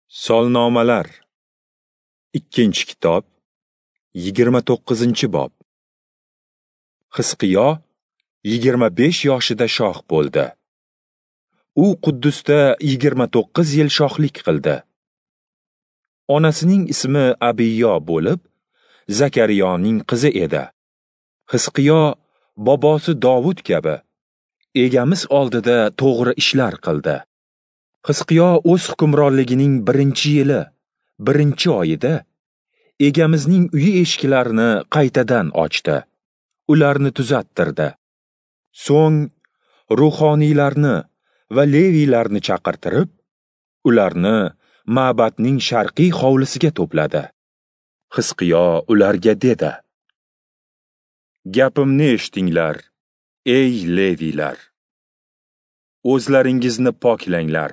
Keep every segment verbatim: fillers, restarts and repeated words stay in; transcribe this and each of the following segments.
Solnomalar, ikkinchi kitob, yigirma to'qqizinchi bob. Hizqiyo yigirma besh yoshida shoh bo'ldi. U Quddusda yigirma to'qqiz yil shohlik qildi. Onasining ismi Abiyo bo'lib, Zakariyoning qizi edi. Hizqiyo bobosi Dovud kabi Egamiz oldida to'g'ri ishlar qildi. Hizqiyo o'z hukmronligining birinchi yili, birinchi oyida Egamizning uyi eshiklarini qaytadan ochdi, ularni tuzattirdi. So'ng ruhoniylarni va leviylarni chaqirtirib, ularni ma'batning sharqiy hovlisiga to'pladi. Hizqiyo ularga dedi: Gapimni eshitinglar, ey leviylar! O'zlaringizni poklanglar.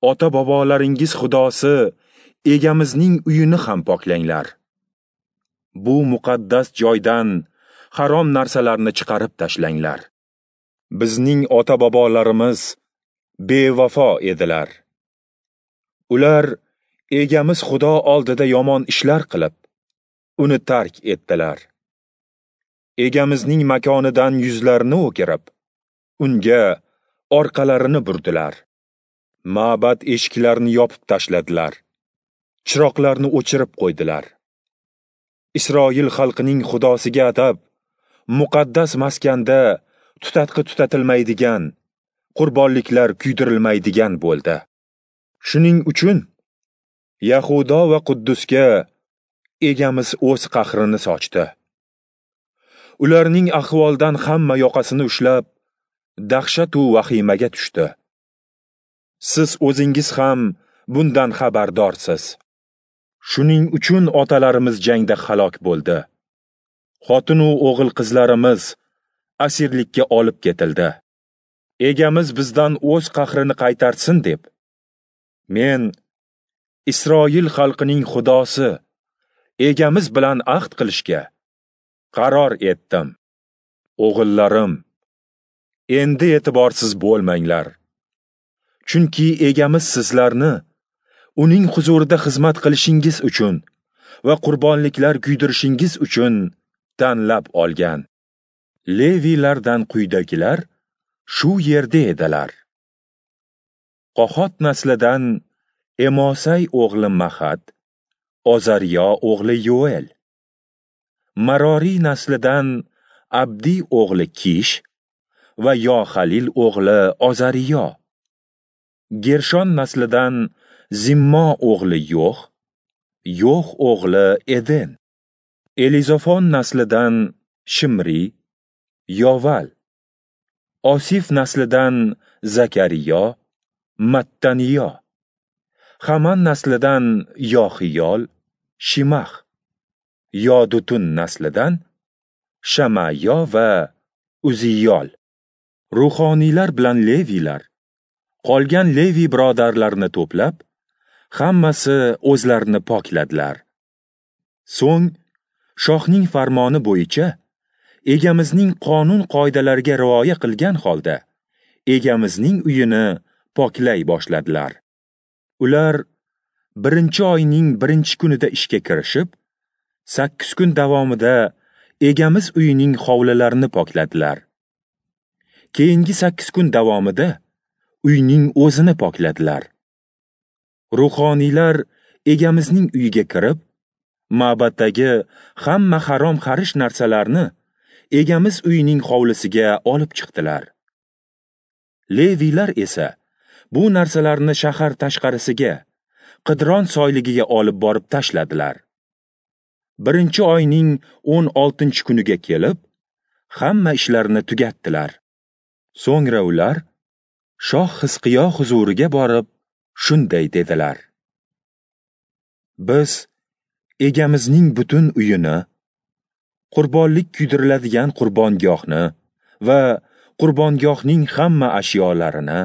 Ota-bobolaringiz Xudosi Egamizning uyini ham poklanglar. Bu muqaddas joydan harom narsalarni chiqarib tashlanglar. Bizning ota-bobolarimiz bevafo edilar. Ular Egamiz Xudo oldida yomon ishlar qilib, uni tark etdilar. Egamizning makonidan yuzlarini o'girib, unga orqalarini burdilar. Ma'bad eshiklarini yopib tashladilar. Chiroqlarni o'chirib qo'ydilar. Isroil xalqining Xudosiga atab, muqaddas maskanda tutatqi tutatilmaydigan, qurbonliklar kuydirilmaydigan bo'ldi. Shuning uchun Yahudo va Quddusga Egamiz o'z qahrini sochdi. Ularning ahvoldan hamma yoqasini ushlab, dahshatu vahimaga tushdi. Siz o'zingiz ham bundan xabardorsiz. Shuning uchun otalarimiz jangda halok bo'ldi. Xotin-u o'g'il qizlarimiz asirlikka olib ketildi. Egamiz bizdan o'z qahrini qaytarsin deb, men Isroil xalqining Xudosi Egamiz bilan ahd qilishga qaror etdim. O'g'illarim, endi e'tiborsiz bo'lmanglar. Chunki Egamiz sizlarni uning huzurida xizmat qilishingiz uchun va qurbonliklar kuydirishingiz uchun tanlab olgan. Leviylardan quyidagilar shu yerda edilar. Qohot naslidan Emosay o'g'li Mahat, Ozariyo o'g'li Yoel. Maroriy naslidan Abdi o'g'li Kish va Yohalil o'g'li Ozariyo. Gershon naslidan Zimmo o'g'li Yo'h, Yo'h o'g'li Eden. Elizofon naslidan Shimri, Yoval. Osif naslidan Zakariyo, Mattaniyo. Haman naslidan Yoxiyol, Shimax. Yodutun naslidan Shamayo va Uziyol. Ruhoniylar bilan leviylar qolgan leviy birodarlarini to'plab, hammasi o'zlarini pokladilar. So'ng shohning farmoni bo'yicha Egamizning qonun qoidalariga rioya qilgan holda Egamizning uyini poklay boshladilar. Ular birinchi oyning birinchi kunida ishga kirishib, sakkiz kun davomida Egamiz uyining hovlilarini pokladilar. Keyingi sakkiz kun davomida uyning o'zini pokladilar. Ruhoniylar Egamizning uyiga kirib, ma'baddagi hamma harom xarish narsalarni Egamiz uyining hovlisiga olib chiqdilar. Leviylar esa bu narsalarni shahar tashqarisiga, Qidron soyligiga olib borib tashladilar. Birinchi oyning o'n oltinchi kuniga kelib, hamma ishlarini tugatdilar. So'ngra ular Shoh Hizqiyo huzuriga borib, shunday dedilar: Biz Egamizning butun uyini, qurbonlik kuydiriladigan qurbongohni va qurbongohning hamma ashyolarini,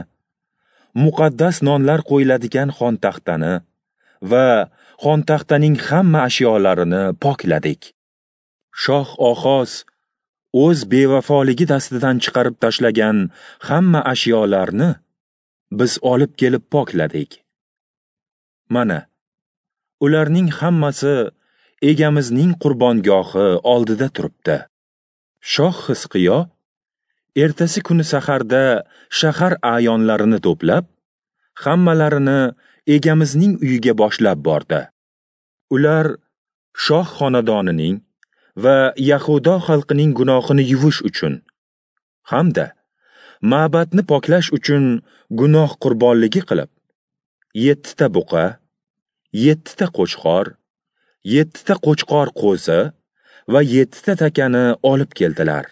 muqaddas nonlar qo'yiladigan xontaxtani va xontaxtaning hamma ashyolarini pokladik. Shoh Oxoz o'z bevafoligi dastidan chiqarib tashlagan hamma ashyolarni biz olib kelib pokladik. Mana, ularning hammasi Egamizning qurbongohi oldida turibdi. Shoh Xizqiyo ertasi kuni saharda shahar a'yonlarini to'plab, hammalarini Egamizning uyiga boshlab bordi. Ular shoh xonadonining va Yahudo xalqining gunohini yuvish uchun hamda ma'batni poklash uchun gunoh qurbonligi qilib, yettita buqa, yettita qo'chqor, yettita qo'chqor qo'zi va yettita takani olib keldilar.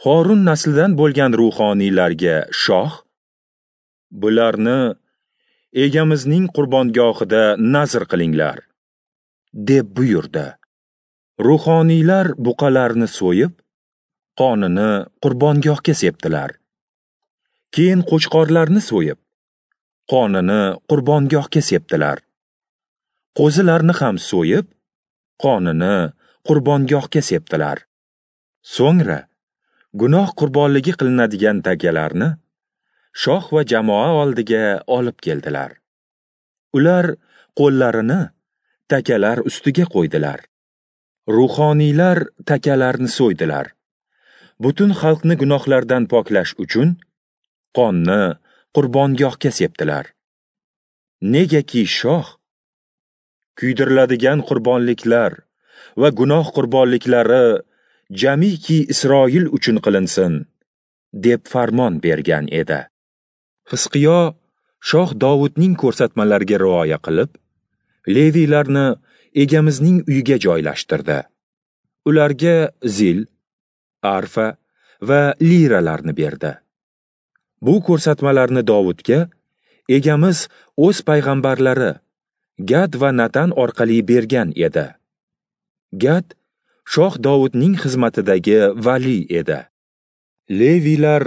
Horun naslidan bo'lgan ruhoniylarga shoh, bularni Egamizning qurbongohida nazr qilinglar, deb buyurdi. Ruhoniylar buqalarni so'yib, qonini qurbongohga sepdilar. Keyin qo'chqorlarni so'yib, qonini qurbongohga sepdilar. Qo'zilarni ham so'yib, qonini qurbongohga sepdilar. So'ngra gunoh qurbonligi qilinadigan takalarni shoh va jamoa oldiga olib keldilar. Ular qo'llarini takalar ustiga qo'ydilar. Ruhoniylar takalarni so'ydilar. Butun xalqni gunohlardan poklash uchun qonni qurbongohga sepdilar. Negaki shoh kuydiriladigan qurbonliklar va gunoh qurbonliklari jamiki Isroil uchun qilinsin, deb farmon bergan edi. Xizqiyo shoh Dovudning ko'rsatmalariga rioya qilib, Leviylarni Egamizning uyiga joylashtirdi. Ularga zil, arfa va liralarni berdi. Bu ko'rsatmalarni Dovudga Egamiz o'z payg'ambarlari Gad va Natan orqali bergan edi. Gad shoh Dovudning xizmatidagi vali edi. Leviylar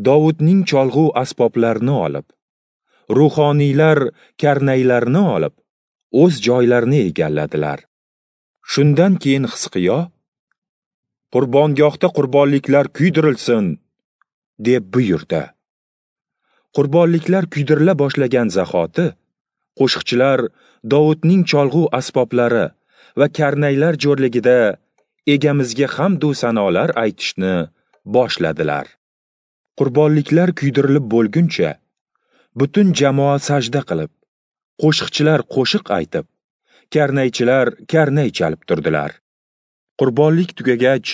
Dovudning cholg'u asboblarini olib, ruhoniylar karnaylarni olib, o'z joylarini egalladilar. Shundan keyin Xizqiyo, qurbongohda qurbonliklar kuydirilsin, deb buyurdi. Qurbonliklar kuydirila boshlagan zahoti qo'shiqchilar Dovudning cholg'u asboblari va karnaylar jo'rligida Egamizga hamd u sanolar aytishni boshladilar. Qurbonliklar kuydirilib bo'lguncha butun jamoa sajda qilib, qo'shiqchilar qo'shiq aytib, karnaychilar karnay chalib turdilar. Qurbonlik tugagach,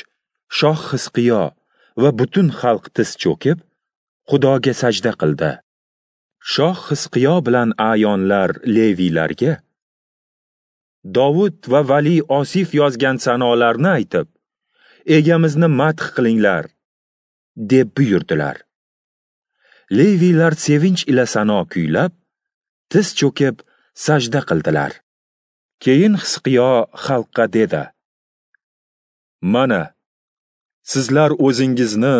shoh Xizqiyo va butun xalq tiz cho'kib, Xudoga sajda qildi. Shoh Xizqiyo bilan a'yonlar Leviylarga Dovud va vali Osif yozgan sanolarni aytib, Egamizni madh qilinglar, deb buyurdilar. Leviylar sevinch ila sano kuylab, tiz cho'kib sajda qildilar. Keyin Xizqiyo xalqqa dedi: Mana, sizlar o'zingizni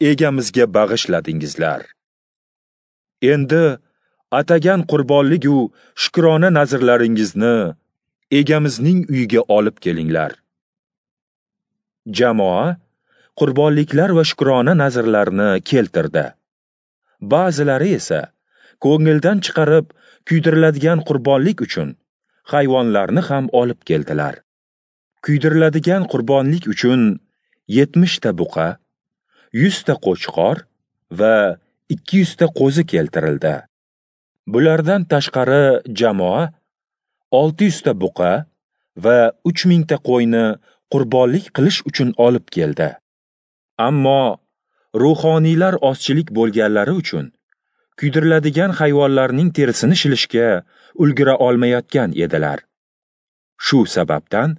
Egamizga bag'ishladingizlar. Endi atagan qurbonlik-u shukrona nazrlaringizni Egamizning uyiga olib kelinglar. Jamoa qurbonliklar va shukrona nazrlarini keltirdi. Ba'zilari esa ko'ngildan chiqarib kuydiriladigan qurbonlik uchun hayvonlarni ham olib keldilar. Kuydiriladigan qurbonlik uchun yetmishta buqa, yuzta qo'chqor va ikki yuzta qo'zi keltirildi. Bulardan tashqari jamoa olti yuzta buqa va uch mingta qo'yni qurbonlik qilish uchun olib keldi. Ammo ruhoniylar ozchilik bo'lganlari uchun kuydiriladigan hayvonlarning terisini shilishga ulgura olmayotgan edilar. Shu sababdan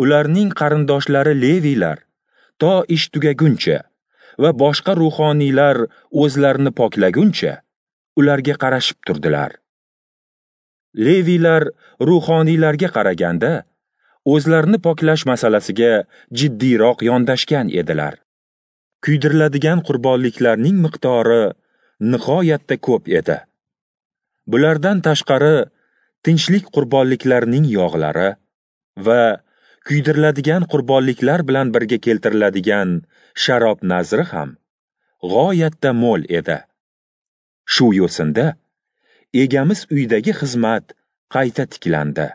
ularning qarindoshlari Leviylar to ish tugaguncha va boshqa ruhoniylar o'zlarini poklaguncha ularga qarashib turdilar. Leviylar ruhoniylarga qaraganda o'zlarini poklash masalasiga jiddiyroq yondashgan edilar. Kuydiriladigan qurbonliklarning miqdori nihoyatda ko'p edi. Bulardan tashqari tinchlik qurbonliklarining yog'lari va kuydiriladigan qurbonliklar bilan birga keltiriladigan sharob nazri ham g'oyatda mo'l edi. Shu yo'sinda Egamiz uyidagi xizmat qayta tiklandi.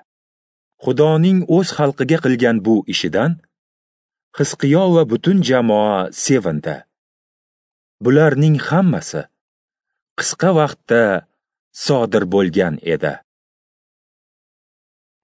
Xudoning o'z xalqiga qilgan bu ishidan Hizqiyo va butun jamoa sevindi. Bularning hammasi qisqa vaqtda sodir bo'lgan edi.